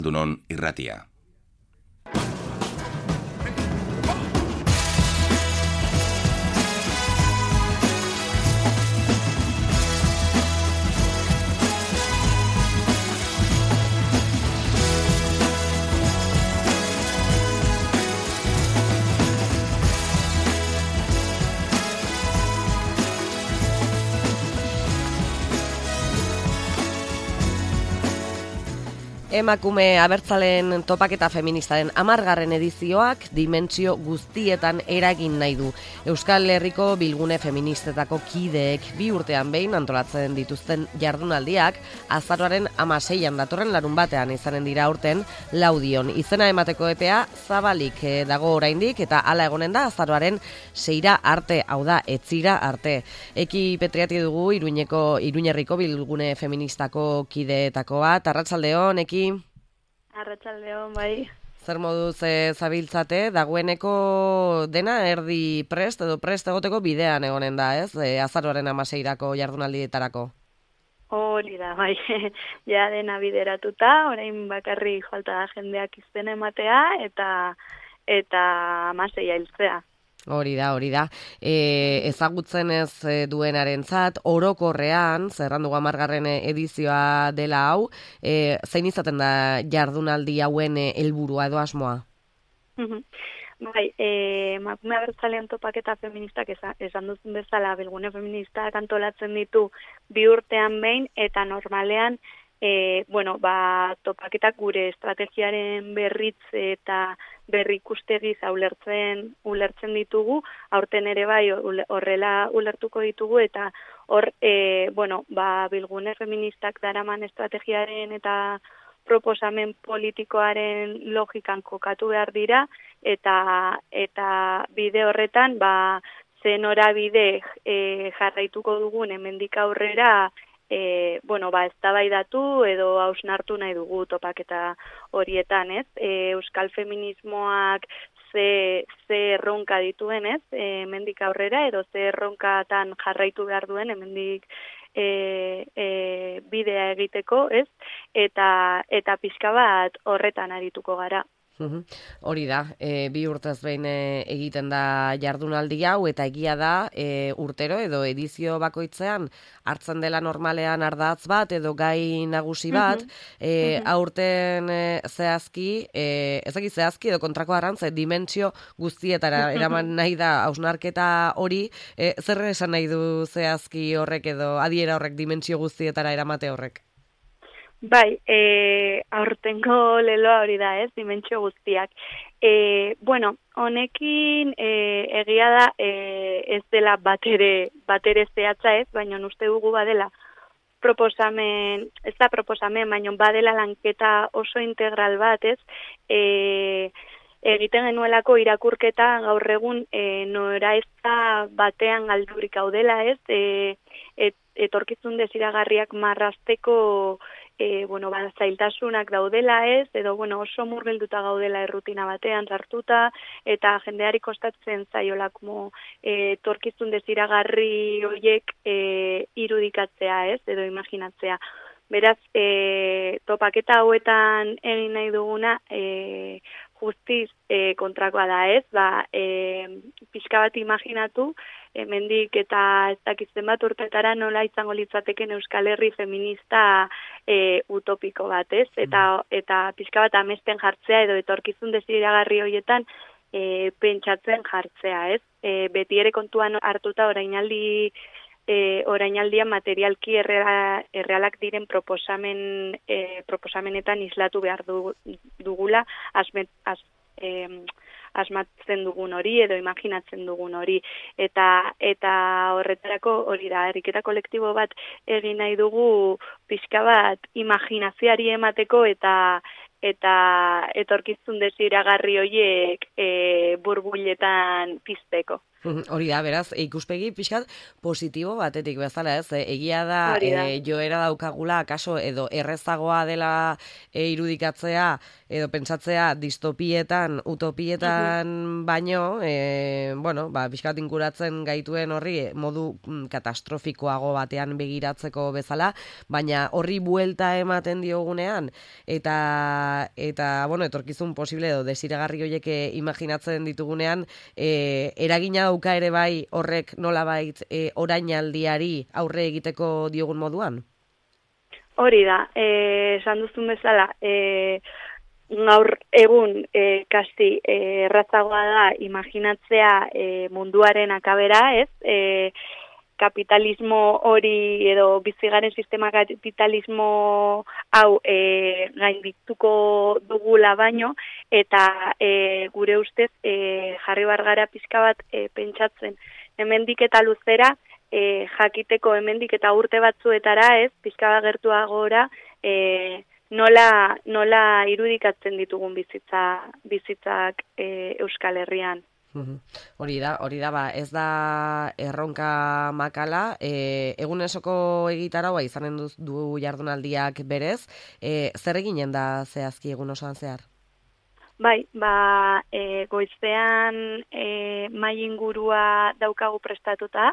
Dunon irratia. Emakume abertzaleen topaketa feministaren 10. edizioak dimentsio guztietan eragin nahi du. Euskal Herriko bilgune feministetako kideek 2 urtean behin antolatzen dituzten jardunaldiak azaroaren 16an datorren larunbatean izanen dira aurten Laudion. Izena emateko epea zabalik dago oraindik eta hala egonen da azaroaren 6ra arte, hau da, etzira arte. Eki Petriati dugu Iruñerriko bilgune feministako kideetako bat. Arratsaldeon, Eki. Arratsaldeon, bai. Zer moduz zabiltzate, dagoeneko dena erdi prest edo prest egoteko bidean egonen da, ez? Azaroaren 16rako jardunaldietarako. Hori da, bai. Ja dena bideratuta, orain bakarrik falta da jendeak izena ematea eta 16a hiltzea. Hori da. Ezagutzen ez duenarentzat orokorrean, zerrandu 10. edizioa dela hau, zein izaten da jardunaldi hauen helburua edo asmoa? Bai, emakume abertzaleen topaketa feministak esan duzun bezala bilgune feministak antolatzen ditu 2 urtean behin eta normalean topaketak gure estrategiaren berritze eta berrikustegiz ulertzen ditugu, aurten ere bai horrela ulertuko ditugu eta hor, bilgune feministak daraman estrategiaren eta proposamen politikoaren logikan kokatu behar dira eta bide horretan ze norabide jarraituko dugun hemendik aurrera eztabaidatu edo hausnartu nahi dugu topaketa horietan, ez? Euskal feminismoak ze erronka dituen, ez? Hemendik aurrera edo ze erronkatan jarraitu behar duen hemendik bidea egiteko, ez? Eta pixka bat horretan arituko gara. Hori da, 2 urtez behin egiten da jardunaldi hau eta egia da urtero edo edizio bakoitzean hartzen dela normalean ardatz bat edo gai nagusi bat, aurten zehazki edo kontrako arrantze dimentsio guztietara eraman nahi da hausnarketa hori, zer esan nahi du zehazki horrek edo adiera horrek dimentsio guztietara eramate horrek? Bai, aurtengo leloa hori da, ez, dimentsio guztiak. Honekin egia da ez dela batere zehatza, ez, baina uste dugu badela proposamen, baina badela lanketa oso integral bat, ez, egiten genuelako irakurketa gaur egun nora ez da batean galdurik gaudela, ez, etorkizun desiragarriak marrazteko zailtasunak daudela, ez, edo oso murgilduta gaudela errutina batean sartuta, eta jendeari kostatzen zaiolako etorkizun desiragarri horiek irudikatzea, ez, edo imaginatzea. Beraz, topaketa hauetan egin nahi duguna justiz kontrakoa da, ez, pixka bat imaginatu, hemendik eta ez dakitzen bat urtetara nola izango litzateken Euskal Herri feminista utopiko bat, ez, eta pixka bat amesten jartzea edo etorkizun desiragarri horietan pentsatzen jartzea, ez, beti ere kontuan hartuta orainaldian materialki errealak diren proposamenetan islatu behar dugula asmatzen dugun hori edo imaginatzen dugun hori eta horretarako hori da, ariketa kolektibo bat egin nahi dugu pixka bat imaginazioari emateko eta etorkizun desiragarri horiek burbuiletan pizteko. Hori da, beraz, ikuspegi pixkat positibo batetik bezala, ez? Egia da, joera daukagula, kaso, edo errezagoa dela irudikatzea, edo pentsatzea distopietan, utopietan baino, bueno, pixkat inkuratzen gaituen horri modu katastrofikoago batean begiratzeko bezala, baina horri buelta ematen diogunean, eta bueno, etorkizun posible edo desiragarri horiek imaginatzen ditugunean, eragina dauka ere bai horrek nolabait orainaldiari aurre egiteko diogun moduan? Hori da, esan duzun bezala, gaur egun kasi errazagoa da imaginatzea munduaren akabera, ez? Kapitalismo hori edo bizigaren sistema kapitalismo hau gaindituko dugula baino, eta gure ustez jarri bargara pixka bat pentsatzen hemendik eta luzera, jakiteko hemendik eta urte batzuetara, ez, pixka bat gertuagora, nola irudikatzen ditugun bizitzak Euskal Herrian. Hori da, ez da erronka makala, egunesoko egitaraua izanen du jardunaldiak berez, zer eginen da zehazki egun osoan zehar? Bai, goizean mahai ingurua daukagu prestatuta,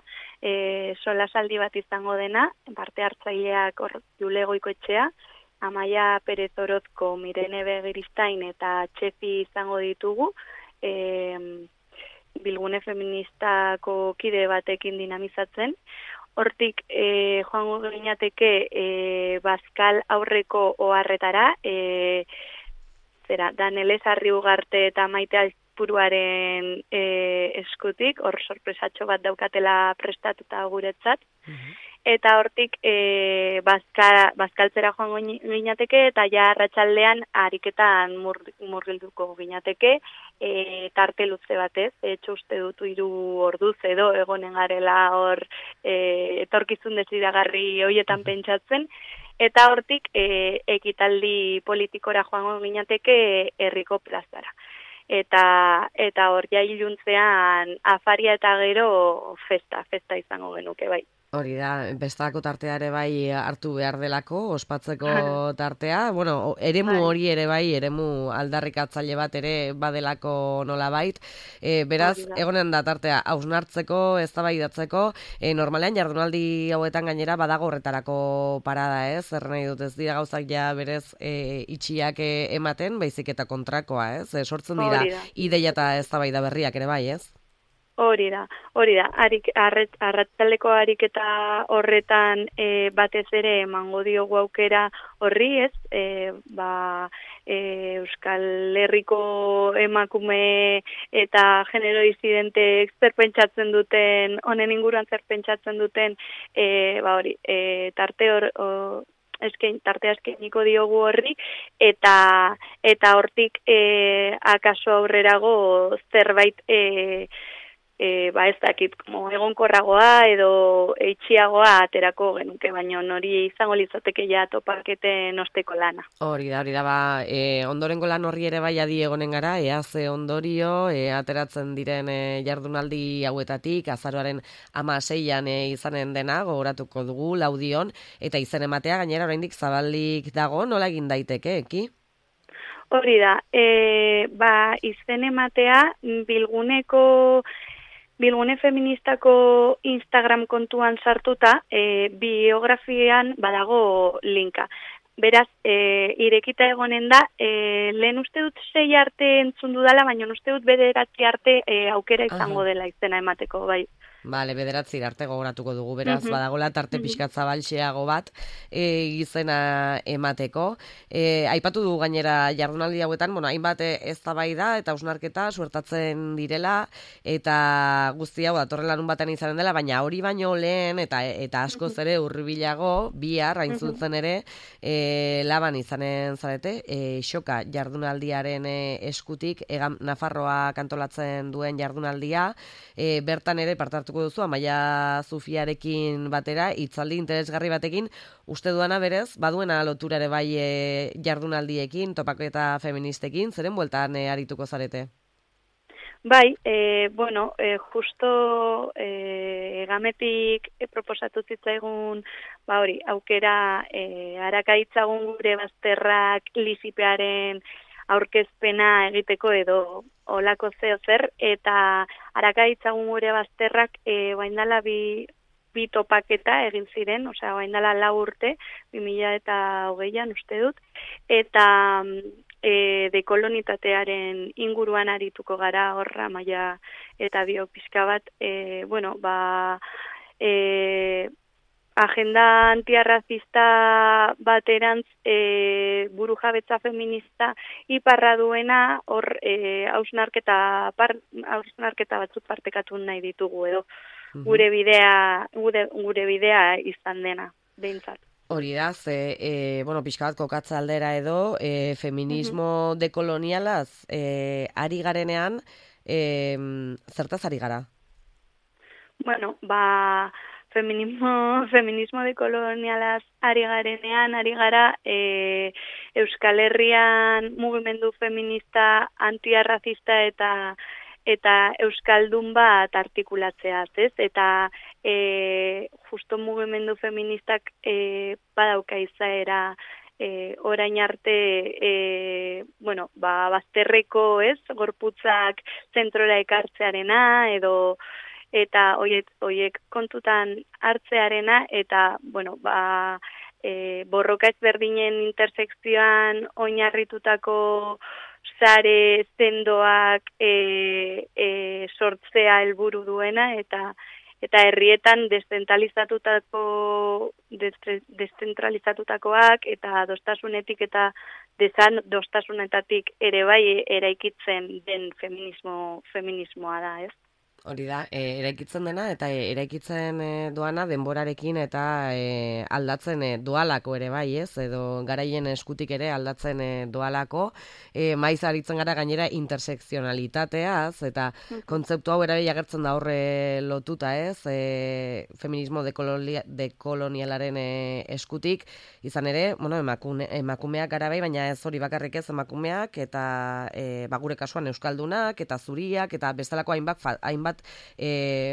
solasaldi bat izango dena, parte hartzaileak Jule Goikoetxea, Amaia Perez Orozko, Mirene Begiristain eta Txefi izango ditugu, Bilgune feministako kide batekin dinamizatzen. Hortik joango ginateke Bazkal aurreko oharretara, Danelez Arriugarte eta Maite Alpuruaren eskutik, hor sorpresatxo bat daukatela prestatuta guretzat. Eta hortik Bazkaltzera joango ginateke, eta ja arratsaldean ariketan murgilduko ginateke, tarte luze batez, uste dut 3 orduz edo egonen garela hor etorkizun desiragarri horietan pentsatzen, eta hortik ekitaldi politikora joango ginateke herriko plazara. Eta hor ja iluntzean afaria eta gero festa izango genuke bai. Hori da, bestelako tartea ere bai hartu behar delako, ospatzeko tartea. Bueno, eremu hori ere bai, eremu aldarrikatzaile bat ere badelako nolabait. Beraz, egonen da tartea hausnartzeko, eztabaidatzeko, normalean jardunaldi hauetan gainera badago horretarako parada, ez? Zer nahi dut, ez dira gauzak ja berez itxiak ematen, baizik eta kontrakoa, ez? Sortzen dira ideia eta eztabaida berriak ere bai, ez? Hori da. Arratsaldeko ariketa horretan batez ere emango diogu aukera horri, ez? Euskal Herriko emakume eta genero disidenteek zer pentsatzen duten, honen inguruan zer pentsatzen duten, tartea eskainiko diogu horri, eta hortik akaso aurrerago zerbait ez dakit, egonkorragoa edo eitxiagoa aterako genuke, baina hori izango litzateke ja topaketen osteko lana. Hori da, ondorengo lan horri ere bai adi egonen gara, ze ondorio, ateratzen diren jardunaldi hauetatik, azaroaren 16an izanen dena, gogoratuko dugu, Laudion, eta izen ematea gainera oraindik zabalik dago, nola egin daiteke, eki? Hori da, izen ematea Bilgune feministako Instagram kontuan sartuta, biografian badago linka. Beraz, irekita egonen da, lehen uste dut 6 arte entzun dudala, baina uste dut 9 arte aukera izango dela izena emateko, bai. Bale, 9 arte gogoratuko dugu, beraz, badagola tarte pixkat zabaltxeago bat izena emateko. Aipatu du gainera jardunaldi hauetan, hainbat eztabaida eta hausnarketa suertatzen direla, eta guzti hau datorren larun batean izanen dela, baina hori baino lehen, eta askoz ere hurbilago, bihar, hain zuzen ere, laban izanen zarete, xoka jardunaldiaren eskutik, Egam Nafarroa kantolatzen duen jardunaldia, bertan ere partartuko duzu, Amaia Zufiarekin batera, hitzaldi interesgarri batekin, uste duana berez, baduena lotura ere bai jardunaldiekin, topaketa feministekin, zeren bueltan arituko zarete? Bai, justo Egametik proposatu zitzaigun, hori, aukera arakaitzagun gure bazterrak lisipearen aurkezpena egiteko edo olako zer, eta arakaitzagun gure bazterrak baindala bi topaketa egin ziren, osea, baindala 4 urte, 2020an uste dut, eta dekolonitatearen inguruan arituko gara horra maila eta dio pixka bat, agenda antiarrazista baterantz burujabetza feminista iparra duena hor hausnarketa batzuk partekatu nahi ditugu edo gure bidea izan dena behintzat. Hori da, pixka bat kokatza aldera edo, feminismo dekolonialaz ari garenean, zertaz ari gara? Feminismo dekolonialaz ari garenean, ari gara Euskal Herrian mugimendu feminista antiarrazista eta euskaldun bat artikulatzeaz, ez? Eta justo mugimendu feministak badauka izaera orain arte bazterreko, ez? Gorputzak zentrora ekartzearena eta hoiek kontutan hartzearena eta borroka ezberdinen intersekzioan oinarritutako sare zendoak sortzea helburu duena eta herrietan deszentralizatutakoak eta dostasunetik eta desadostasunetatik ere bai eraikitzen den feminismoa da, ez? Hori da, eraikitzen dena eta eraikitzen doana denborarekin eta aldatzen doalako ere bai, ez? Edo garaien eskutik ere aldatzen doalako. Maiz aritzen gara gainera intersekzionalitateaz eta kontzeptu hau ere agertzen da horre lotuta, ez? Feminismo dekolonialaren eskutik izan ere, emakumeak gara bai, baina ez hori bakarrik ez emakumeak eta gure kasuan euskaldunak eta zuriak eta bestelako hainbat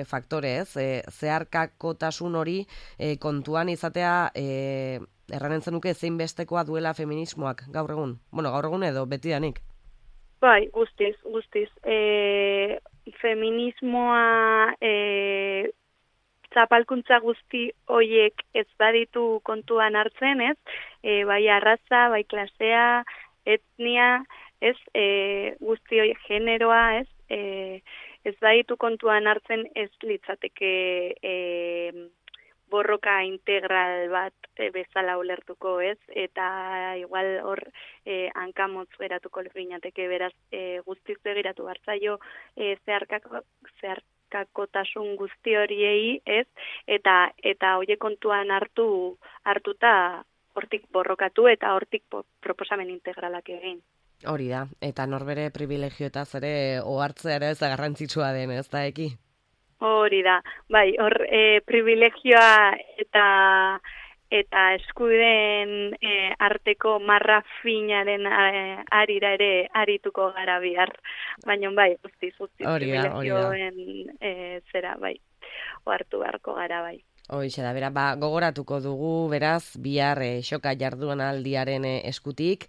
faktore, ez? Zeharkakotasun hori kontuan izatea erranen zenuke zein bestekoa duela feminismoak gaur egun? Gaur egun edo betidanik? Bai, guztiz. Feminismoa zapalkuntza guzti hoiek ez baditu kontuan hartzen, ez? Bai arraza, bai klasea, etnia, ez? Guzti horiek generoa, ez? Ez baditu kontuan hartzen ez litzateke borroka integral bat bezala ulertuko, ez? Eta igual hor hankamotz geratuko ginateke, beraz guztiz begiratu hartzaio zeharkakotasun guzti horiei, ez? Eta horiek kontuan hartuta hortik borrokatu eta hortik proposamen integralak egin. Hori da, eta norbere privilegioetaz ere ohartzea ere ez da garrantzitsua den, ez da eki? Hori da, bai, hor privilegioa eta eskuden arteko marra finaren arira ere arituko gara bihar. Baina bai, guztiz privilegioen zera, bai, ohartu beharko gara, bai. Hoixe da, gogoratuko dugu, beraz, bihar xoka jarduan aldiaren eskutik,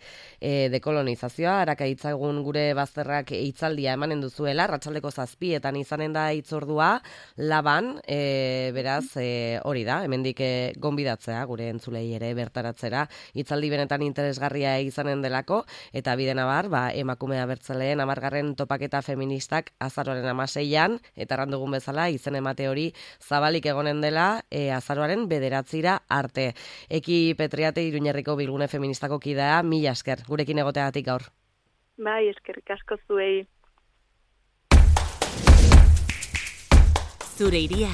dekolonizazioa, arakaitzagun gure bazterrak hitzaldia emanen duzuela, arratsaldeko 7:00 izanen da hitzordua, Laban, beraz, hori da, hemendik gonbidatzea, gure entzulei ere bertaratzera, hitzaldi benetan interesgarria izanen delako, eta bidenabar, emakume abertzaleen 10. topaketa feministak azaroaren 16an, eta errandugun bezala, izen emate hori zabalik egonen dela, azaroaren 9 arte. Eki Petriate Iruñerriko Bilgune Feministako kidea, mila esker, gurekin egoteagatik gaur. Bai, eskerrik asko zuei. Zure iria,